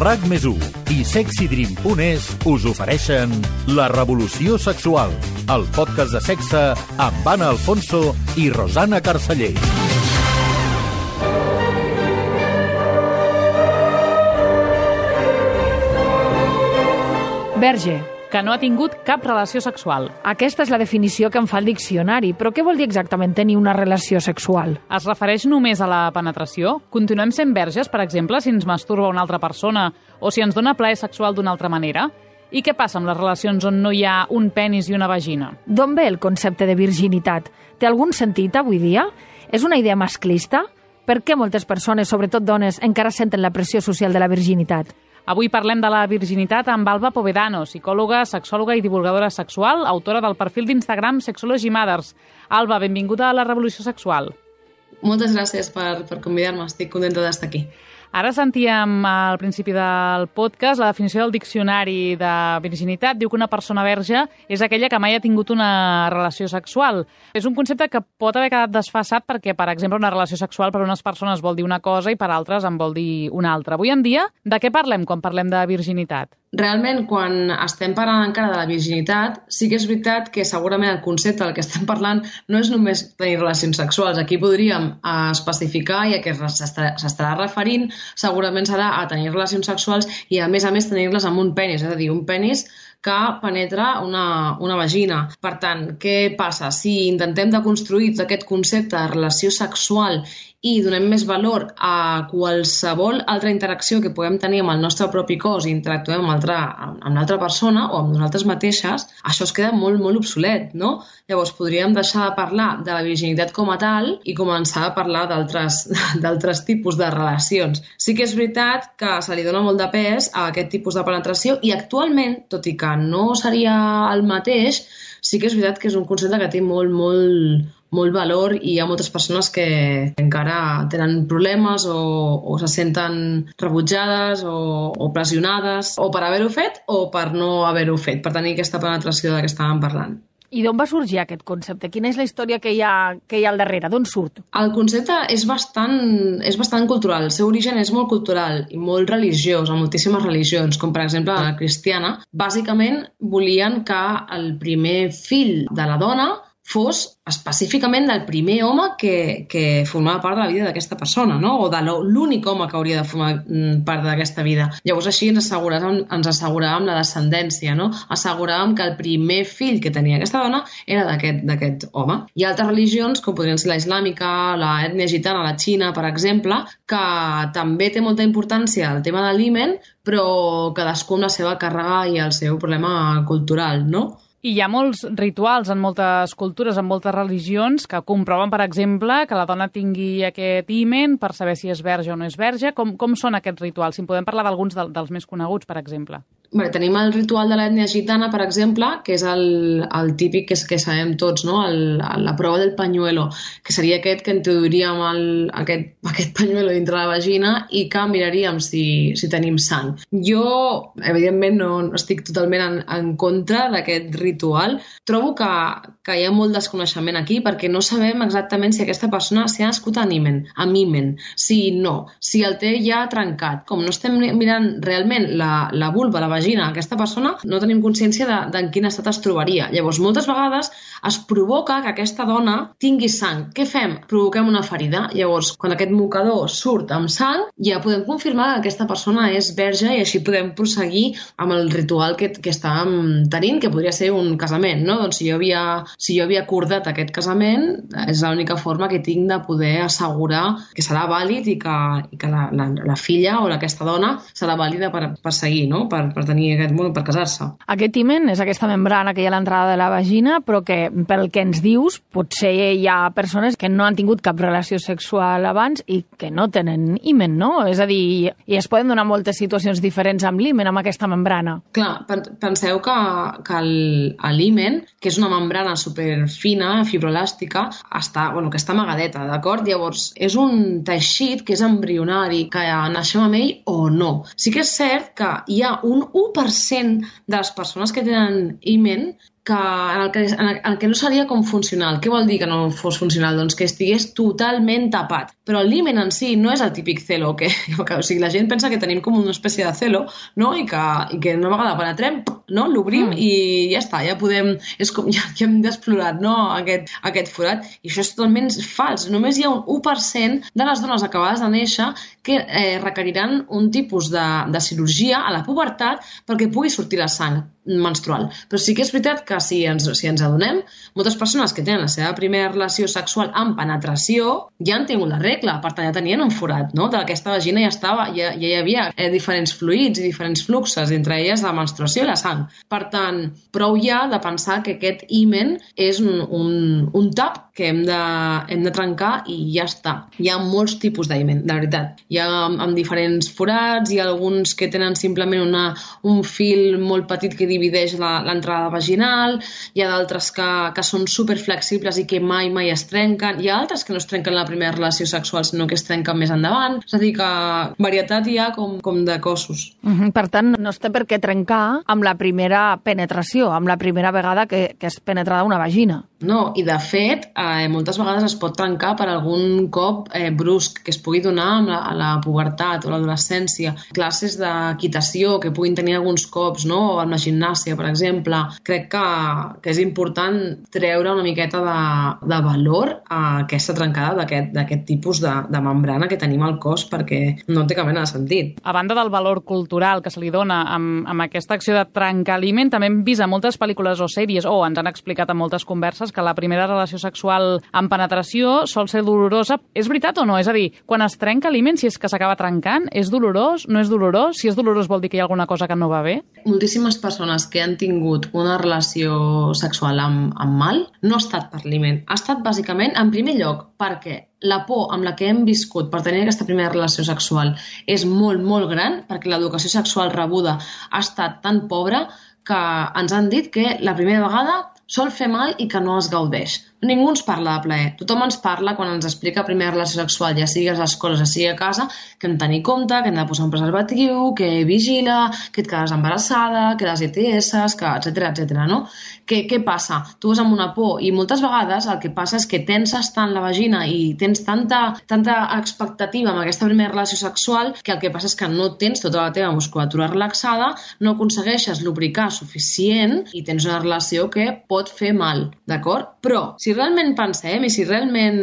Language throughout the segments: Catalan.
RAC+1 i SexyDream.es us ofereixen La Revolució Sexual, el podcast de sexe amb Anna Alfonso i Rosana Carceller. Verge, que no ha tingut cap relació sexual. aquesta és la definició que em fa el diccionari, però què vol dir exactament tenir una relació sexual? Es refereix només a la penetració? Continuem sent verges, per exemple, si ens masturba una altra persona o si ens dona plaer sexual d'una altra manera? I què passa amb les relacions on no hi ha un penis i una vagina? D'on ve el concepte de virginitat? Té algun sentit avui dia? És una idea masclista? Per què moltes persones, sobretot dones, encara senten la pressió social de la virginitat? Avui parlem de la virginitat amb Alba Povedano, psicòloga, sexòloga i divulgadora sexual, autora del perfil d'Instagram Sexology Mothers. Alba, benvinguda a La Revolució Sexual. Moltes gràcies per convidar-me, estic contenta d'estar aquí. Ara sentíem al principi del podcast la definició del diccionari de virginitat. Diu que una persona verge és aquella que mai ha tingut una relació sexual. És un concepte que pot haver quedat desfasat perquè, per exemple, una relació sexual per a unes persones vol dir una cosa i per altres en vol dir una altra. Avui en dia, de què parlem quan parlem de virginitat? Realment, quan estem parlant encara de la virginitat, sí que és veritat que segurament el concepte del que estem parlant no és només tenir relacions sexuals. Aquí podríem especificar i a què s'estarà referint segurament serà a tenir relacions sexuals i a més tenir-les amb un penis, és a dir, un penis que penetra una vagina. Per tant, què passa? Si intentem deconstruir aquest concepte de relació sexual i donem més valor a qualsevol altra interacció que puguem tenir amb el nostre propi cos i interactuem amb l'altra persona o amb nosaltres mateixes, això es queda molt, molt obsolet, no? Llavors podríem deixar de parlar de la virginitat com a tal i començar a parlar d'altres tipus de relacions. Sí que és veritat que se li dona molt de pes a aquest tipus de penetració i actualment, tot i que no seria el mateix, sí que és veritat que és un concepte que té molt valor i hi ha moltes persones que encara tenen problemes o se senten rebutjades o pressionades o per haver-ho fet o per no haver-ho fet, per tenir aquesta penetració de què estàvem parlant. I d'on va sorgir aquest concepte? Quina és la història que hi ha al darrere? D'on surt? El concepte és bastant cultural. El seu origen és molt cultural i molt religiós, a moltíssimes religions, com per exemple la cristiana. Bàsicament volien que el primer fill de la dona fos específicament del primer home que formava part de la vida d'aquesta persona, no? O de l'únic home que hauria de formar part d'aquesta vida. Llavors així ens asseguràvem la descendència, no? Asseguràvem que el primer fill que tenia aquesta dona era d'aquest home. Hi ha altres religions, com podrien ser la islàmica, l'ètnia gitana, la Xina, per exemple, que també té molta importància el tema de l'himen, però cadascú amb la seva càrrega i el seu problema cultural, no? I hi ha molts rituals en moltes cultures, en moltes religions, que comproven, per exemple, que la dona tingui aquest himen per saber si és verge o no és verge. Com són aquests rituals? Si en podem parlar d'alguns dels més coneguts, per exemple. Bé, tenim el ritual de l'ètnia gitana, per exemple, que és el típic que sabem tots, no? La prova del pañuelo, que seria aquest que introduiríem aquest pañuelo dintre la vagina i que miraríem si tenim sang. Jo, evidentment, no estic totalment en contra d'aquest ritual. Trobo que hi ha molt desconeixement aquí perquè no sabem exactament si aquesta persona s'ha nascut amb himen, si no, si el té ja trencat. Com no estem mirant realment la vulva, la vagina, aquesta persona, no tenim consciència de en quin estat es trobaria. Llavors, moltes vegades es provoca que aquesta dona tingui sang. Què fem? Provoquem una ferida. Llavors, quan aquest mocador surt amb sang, ja podem confirmar que aquesta persona és verge i així podem prosseguir amb el ritual que estàvem tenint, que podria ser un casament, no? Doncs si jo havia acordat aquest casament, és l'única forma que tinc de poder assegurar que serà vàlid i que la filla o aquesta dona serà vàlida per seguir, no? Per tenir aquest món, per casar-se. Aquest himen és aquesta membrana que hi ha a l'entrada de la vagina, però que, pel que ens dius, potser hi ha persones que no han tingut cap relació sexual abans i que no tenen himen, no? És a dir, i es poden donar moltes situacions diferents amb l'himen, amb aquesta membrana. Clar, penseu que l'himen, que és una membrana superfina, fibroelàstica, que està amagadeta, d'acord? Llavors, és un teixit que és embrionari, que naixem amb ell o no. Sí que és cert que hi ha un 1% de les persones que tenen himen en el que no seria com funcional. Què vol dir que no fos funcional? Doncs que estigués totalment tapat. Però el himen en si no és el típic celo, o sigui, la gent pensa que tenim com una espècie de celo, no? I que una vegada penetrem, no? L'obrim i ja està, ja podem... És com ja hem d'explorar, no? Aquest forat. I això és totalment fals. Només hi ha un 1% de les dones acabades de néixer que requeriran un tipus de cirurgia a la pubertat perquè pugui sortir la sang menstrual. Però sí que és veritat que si ens adonem, moltes persones que tenen la seva primera relació sexual amb penetració ja han tingut la regla, per tant ja tenien un forat, no? D'aquesta vagina ja hi havia diferents fluids i diferents fluxes, entre elles la menstruació i la sang. Per tant, prou ja de pensar que aquest himen és un tap que hem de trencar i ja està. Hi ha molts tipus d'himen, de veritat. Hi ha amb diferents forats, hi ha alguns que tenen simplement un fil molt petit que divideix l'entrada vaginal, hi ha d'altres que són superflexibles i que mai es trenquen, hi ha altres que no es trenquen la primera relació sexual, sinó que es trenquen més endavant. És a dir, que varietat hi ha com de cossos. Per tant, no es té per què trencar amb la primera penetració, amb la primera vegada que és penetrada una vagina. No, i de fet, moltes vegades es pot trencar per algun cop brusc que es pugui donar a la pubertat o l'adolescència. Classes d'equitació que puguin tenir alguns cops, no? O en la gimnàsia, per exemple. Crec que és important treure una miqueta de valor a aquesta trencada d'aquest tipus de membrana que tenim al cos perquè no té cap mena de sentit. A banda del valor cultural que se li dona amb aquesta acció de trencar l'himen, també hem vist a moltes pel·lícules o sèries, o ens han explicat en moltes converses, que la primera relació sexual amb penetració sol ser dolorosa. És veritat o no? És a dir, quan es trenca l'himen, si és que s'acaba trencant, és dolorós? No és dolorós? Si és dolorós vol dir que hi ha alguna cosa que no va bé? Moltíssimes persones que han tingut una relació sexual amb mal no ha estat per l'himen. Ha estat bàsicament, en primer lloc, perquè la por amb la que hem viscut per tenir aquesta primera relació sexual és molt, molt gran, perquè l'educació sexual rebuda ha estat tan pobra que ens han dit que la primera vegada sol fer mal i que no es gaudeix. Ningú ens parla de plaer. Tothom ens parla quan ens explica primera relació sexual, ja sigui a les escoles, ja sigui a casa, que hem de tenir compte, que hem de posar un preservatiu, que vigila, que et quedes embarassada, que les ETS, que etcètera, no? Què passa? Tu vas amb una por i moltes vegades el que passa és que tenses tant la vagina i tens tanta expectativa amb aquesta primera relació sexual que el que passa és que no tens tota la teva musculatura relaxada, no aconsegueixes lubricar suficient i tens una relació que pot fer mal, d'acord? Però, si realment pensem i si realment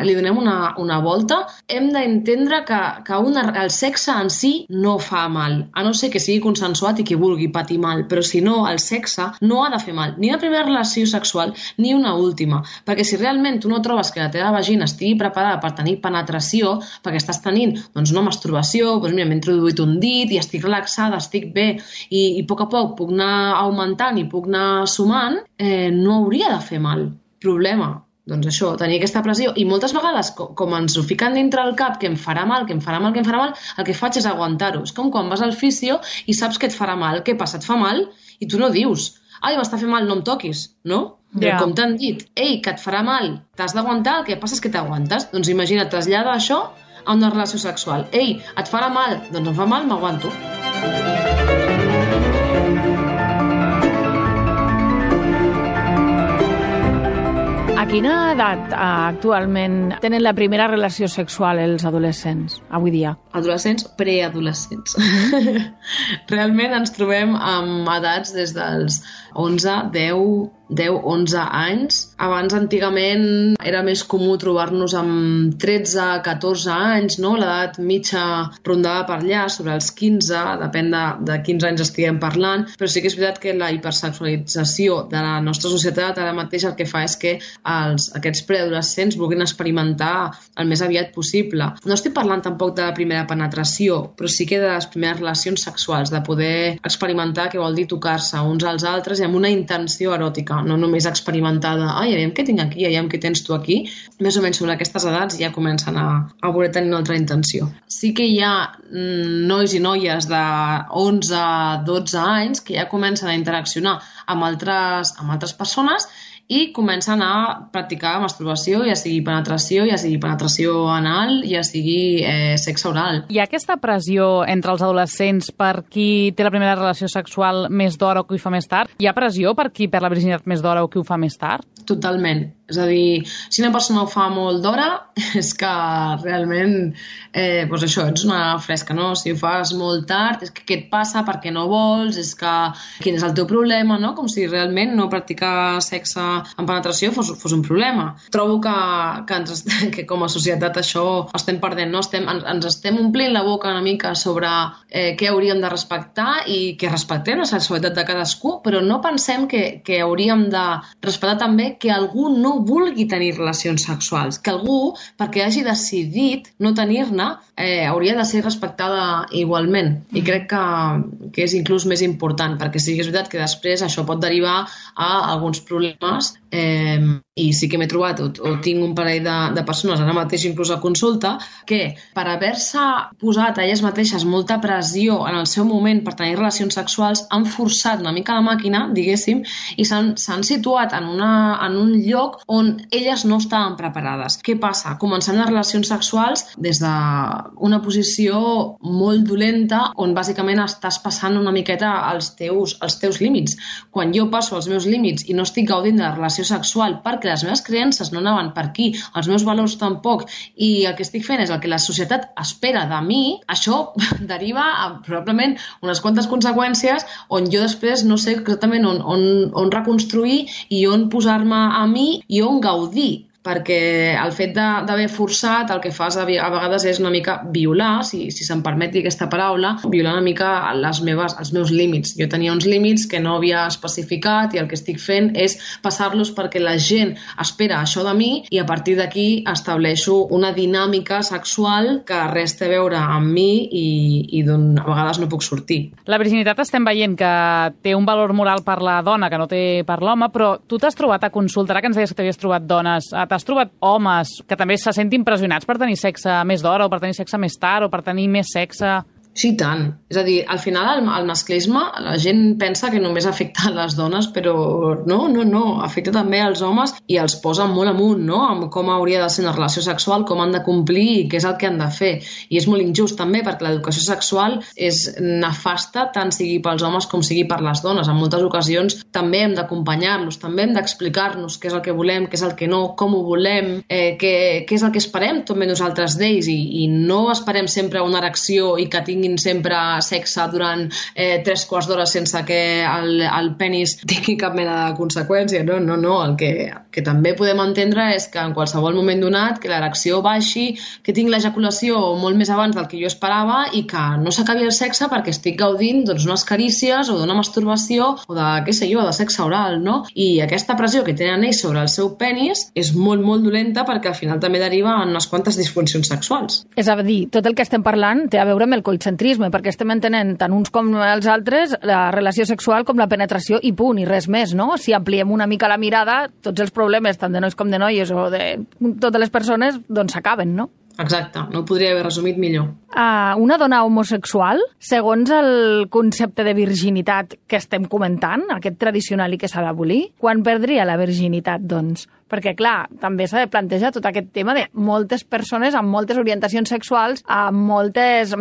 li donem una volta, hem d'entendre que el sexe en si no fa mal, a no ser que sigui consensuat i que vulgui patir mal, però si no, el sexe no ha de fer mal, ni la primera relació sexual ni una última, perquè si realment tu no trobes que la teva vagina estigui preparada per tenir penetració, perquè estàs tenint una masturbació, doncs mira, m'he introduït un dit i estic relaxada, estic bé i a poc puc anar augmentant i puc anar sumant, no hauria de fer mal. Problema, doncs això, tenir aquesta pressió. I moltes vegades, com ens ho fiquen dintre el cap, que em farà mal, el que faig és aguantar-ho. És com quan vas al fisio i saps que et farà mal. Què passa? Et fa mal? I tu no dius, ai, m'està fent mal, no em toquis, no? Yeah. Com t'han dit, ei, que et farà mal, t'has d'aguantar, el que passa és que t'aguantes. Doncs imagina't, trasllada això a una relació sexual. Ei, et farà mal, doncs em fa mal, m'aguanto. A quina edat actualment tenen la primera relació sexual els adolescents, avui dia? Adolescents, preadolescents. Realment ens trobem amb edats des dels 11, 11 anys. Abans, antigament, era més comú trobar-nos amb 13, 14 anys, no? L'edat mitja rondava per allà, sobre els 15, depèn de quins anys estiguem parlant, però sí que és veritat que la hipersexualització de la nostra societat ara mateix el que fa és que aquests preadolescents vulguin experimentar el més aviat possible. No estic parlant tampoc de la primera penetració, però sí que de les primeres relacions sexuals, de poder experimentar què vol dir tocar-se uns als altres i amb una intenció eròtica, no només experimentada, ai, aviam què tinc aquí, aviam què tens tu aquí. Més o menys sobre aquestes edats ja comencen a voler tenir una altra intenció. Sí que hi ha nois i noies de 11, 12 anys que ja comencen a interaccionar amb altres persones i comencen a practicar masturbació, ja sigui penetració anal, ja sigui sexe oral. Hi ha aquesta pressió entre els adolescents per qui té la primera relació sexual més d'hora o qui ho fa més tard? Hi ha pressió per qui perd la virginitat més d'hora o qui ho fa més tard? Totalment. És a dir, si una persona ho fa molt d'hora, és que realment, doncs això, ets una fresca, no? Si ho fas molt tard, és que què et passa, per què no vols, és que quin és el teu problema, no? Com si realment no practicar sexe en penetració fos un problema. Trobo que com a societat això estem perdent, no? Ens estem omplint la boca una mica sobre què hauríem de respectar i que respectem la sexualitat de cadascú, però no pensem que hauríem de respectar també que algú no vulgui tenir relacions sexuals, que algú, perquè hagi decidit no tenir-ne, hauria de ser respectada igualment. I crec que és inclús més important, perquè sí que és veritat que després això pot derivar a alguns problemes i sí que m'he trobat o tinc un parell de persones ara mateix inclús a consulta que per haver-se posat a elles mateixes molta pressió en el seu moment per tenir relacions sexuals han forçat una mica la màquina, diguéssim, i s'han situat en un lloc on elles no estaven preparades. Què passa? Començant les relacions sexuals des d'una posició molt dolenta on bàsicament estàs passant una miqueta els teus límits. Quan jo passo els meus límits i no estic gaudint de la relació sexual perquè les meves creences no anaven per aquí, els meus valors tampoc, i el que estic fent és el que la societat espera de mi, això deriva a probablement unes quantes conseqüències on jo després no sé exactament on reconstruir i on posar-me a mi i on gaudir. Perquè el fet d'haver forçat el que fas a vegades és una mica violar, si se'm permeti aquesta paraula, violar una mica els meus límits. Jo tenia uns límits que no havia especificat i el que estic fent és passar-los perquè la gent espera això de mi i a partir d'aquí estableixo una dinàmica sexual que res té a veure amb mi i d'on a vegades no puc sortir. La virginitat estem veient que té un valor moral per la dona que no té per l'home, però tu t'has trobat a consulta, ara que ens deies que t'havies trobat dones, t'has trobat homes que també se sentin pressionats per tenir sexe més d'hora o per tenir sexe més tard o per tenir més sexe? Sí, tant. És a dir, al final el masclisme, la gent pensa que només afecta les dones, però no, afecta també els homes i els posa molt amunt, no?, amb com hauria de ser una relació sexual, com han de complir i què és el que han de fer. I és molt injust també, perquè l'educació sexual és nefasta tant sigui pels homes com sigui per les dones. En moltes ocasions també hem d'acompanyar-los, també hem d'explicar-nos què és el que volem, què és el que no, com ho volem, què és el que esperem també nosaltres d'ells i no esperem sempre una erecció i que tinguin sempre sexe durant 3 quarts d'hora sense que el penis tingui cap mena de conseqüència. No. El que també podem entendre és que en qualsevol moment donat que l'erecció baixi, que tinc l'ejaculació molt més abans del que jo esperava i que no s'acabi el sexe perquè estic gaudint d'unes carícies o d'una masturbació o de sexe oral, no? I aquesta pressió que tenen ells sobre el seu penis és molt, molt dolenta perquè al final també deriva en unes quantes disfuncions sexuals. És a dir, tot el que estem parlant té a veure amb el coitcentrisme, perquè estem entenent tant uns com els altres la relació sexual com la penetració i punt, i res més, no? Si ampliem una mica la mirada, tots els problemes, tant de nois com de noies o de totes les persones, doncs s'acaben, no? Exacte, no ho podria haver resumit millor. Una dona homosexual, segons el concepte de virginitat que estem comentant, aquest tradicional i que s'ha d'abolir, quan perdria la virginitat, doncs? Perquè, clar, també s'ha de plantejar tot aquest tema de moltes persones amb moltes orientacions sexuals, amb moltes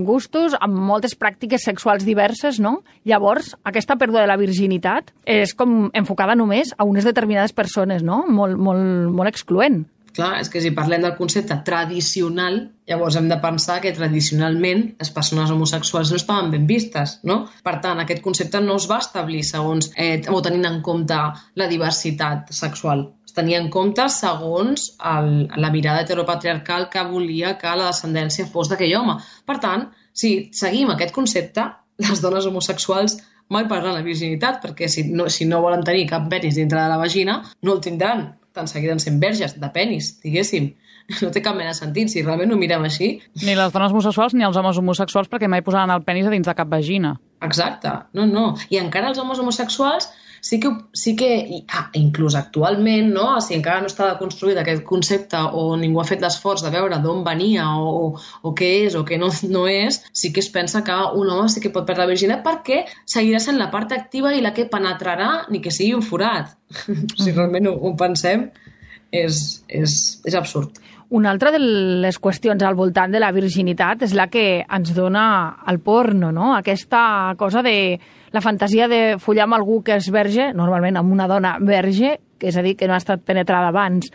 gustos, amb moltes pràctiques sexuals diverses, no? Llavors, aquesta pèrdua de la virginitat és com enfocada només a unes determinades persones, no? Molt excloent. Clar, és que si parlem del concepte tradicional, llavors hem de pensar que tradicionalment les persones homosexuals no estaven ben vistes, no? Per tant, aquest concepte no es va establir segons o tenint en compte la diversitat sexual. Es tenia en compte segons la mirada heteropatriarcal que volia que la descendència fos d'aquell home. Per tant, si seguim aquest concepte, les dones homosexuals mai perdran la virginitat, perquè si no volen tenir cap penis dintre de la vagina, no el tindran. Tant seguiran sent verges, de penis, diguéssim. No té cap mena de sentit, si realment ho mirem així. Ni les dones homosexuals ni els homes homosexuals perquè mai posaran el penis a dins de cap vagina. Exacte, no. I encara els homes homosexuals sí que inclús actualment, no? Si encara no està construït aquest concepte o ningú ha fet l'esforç de veure d'on venia o què és o què no és, sí que es pensa que un home sí que pot perdre la virginitat perquè seguirà sent la part activa i la que penetrarà ni que sigui un forat. Si realment ho pensem, és absurd. Una altra de les qüestions al voltant de la virginitat és la que ens dona el porno, no? Aquesta cosa de la fantasia de follar amb algú que és verge, normalment amb una dona verge, que és a dir, que no ha estat penetrada abans.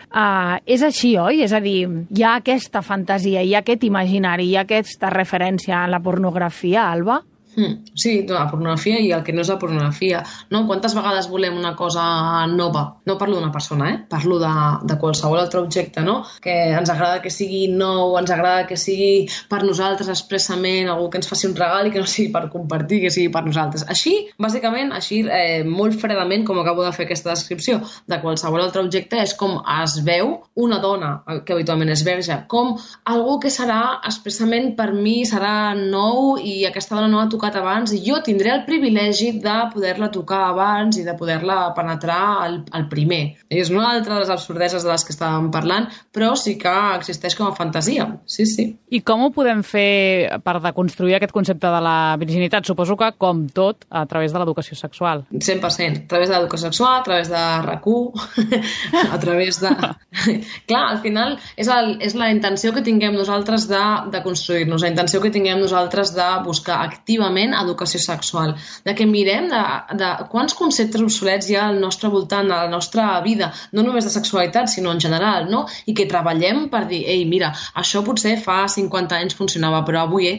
És així, oi? És a dir, hi ha aquesta fantasia, hi ha aquest imaginari, hi ha aquesta referència a la pornografia, Alba? Sí, la pornografia i el que no és la pornografia. No? Quantes vegades volem una cosa nova? No parlo d'una persona, parlo de qualsevol altre objecte, no? Que ens agrada que sigui nou, ens agrada que sigui per nosaltres expressament, algú que ens faci un regal i que no sigui per compartir, que sigui per nosaltres. Així, bàsicament, molt fredament, com acabo de fer aquesta descripció, de qualsevol altre objecte, és com es veu una dona, que habitualment és verge, com algú que serà expressament per mi, serà nou i aquesta dona no ha tocat abans i jo tindré el privilegi de poder-la tocar abans i de poder-la penetrar el primer. És una altra de les absurdeses de les que estàvem parlant, però sí que existeix com a fantasia. Sí. I com ho podem fer per deconstruir aquest concepte de la virginitat? Suposo que, com tot, a través de l'educació sexual. 100%. A través de l'educació sexual, a través de RAC1, a través de... Clar, al final és la intenció que tinguem nosaltres de construir-nos, la intenció que tinguem nosaltres de buscar activament educació sexual, de que mirem de quants conceptes obsolets hi ha al nostre voltant, a la nostra vida, no només de sexualitat, sinó en general, no? I que treballem per dir, ei, mira, això potser fa 50 anys funcionava, però avui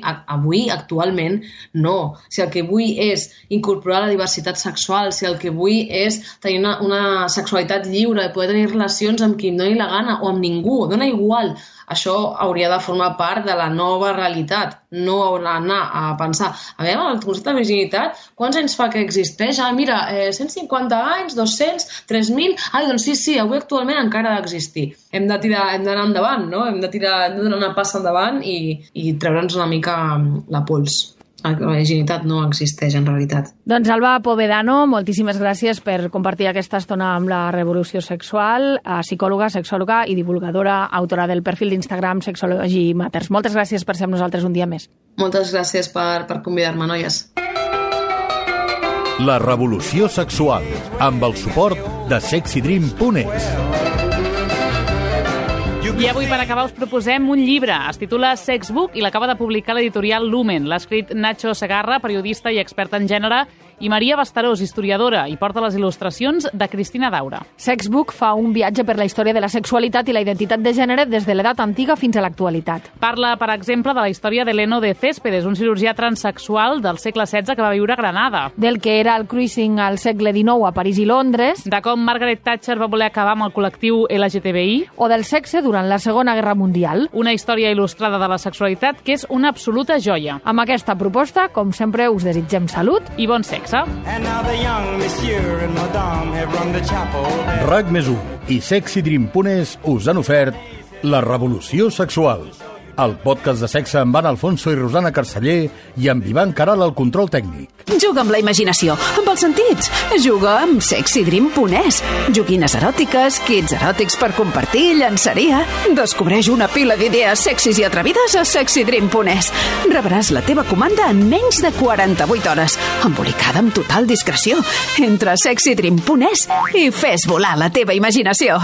actualment, no. Si el que vull és incorporar la diversitat sexual, si el que vull és tenir una sexualitat lliure, poder tenir relacions amb qui em doni la gana o amb ningú, dona igual. Això hauria de formar part de la nova realitat, no anar a pensar, a veure, el concepte de virginitat, quants anys fa que existeix? Mira, 150 anys, 200, 3.000... doncs sí, avui actualment encara ha d'existir. Hem d'anar endavant, no? Hem de donar una passa endavant i treure'ns una mica la pols. La virginitat no existeix en realitat. Doncs Alba Povedano, moltíssimes gràcies per compartir aquesta estona amb la Revolució Sexual, psicòloga, sexòloga i divulgadora, autora del perfil d'Instagram Sexology Matters. Moltes gràcies per ser amb nosaltres un dia més. Moltes gràcies per convidar-me, noies. La Revolució Sexual, amb el suport de sexydream.es. I avui, per acabar, us proposem un llibre. Es titula Sexbook i l'acaba de publicar l'editorial Lumen. L'ha escrit Nacho Segarra, periodista i expert en gènere, i Maria Bastarós, historiadora, i porta les il·lustracions de Cristina Daura. Sexbook fa un viatge per la història de la sexualitat i la identitat de gènere des de l'edat antiga fins a l'actualitat. Parla, per exemple, de la història d'Heleno de Céspedes, un cirurgià transsexual del segle XVI que va viure a Granada. Del que era el cruising al segle XIX a París i Londres. De com Margaret Thatcher va voler acabar amb el col·lectiu LGTBI. O del sexe durant la Segona Guerra Mundial. Una història il·lustrada de la sexualitat que és una absoluta joia. Amb aquesta proposta, com sempre, us desitgem salut i bon sexe. RAC+1 i sexydream.es us han ofert La Revolució Sexual, el podcast de sexe amb Anna Alfonso i Rosana Carceller i amb Ivan Caral al control tècnic. Juga amb la imaginació, amb els sentits. Juga amb sexydream.es. Joguines eròtiques, kits eròtics per compartir, llançaria. Descobreix una pila d'idees sexis i atrevides a sexydream.es. Rebràs la teva comanda en menys de 48 hores, embolicada amb total discreció. Entra a sexydream.es i fes volar la teva imaginació.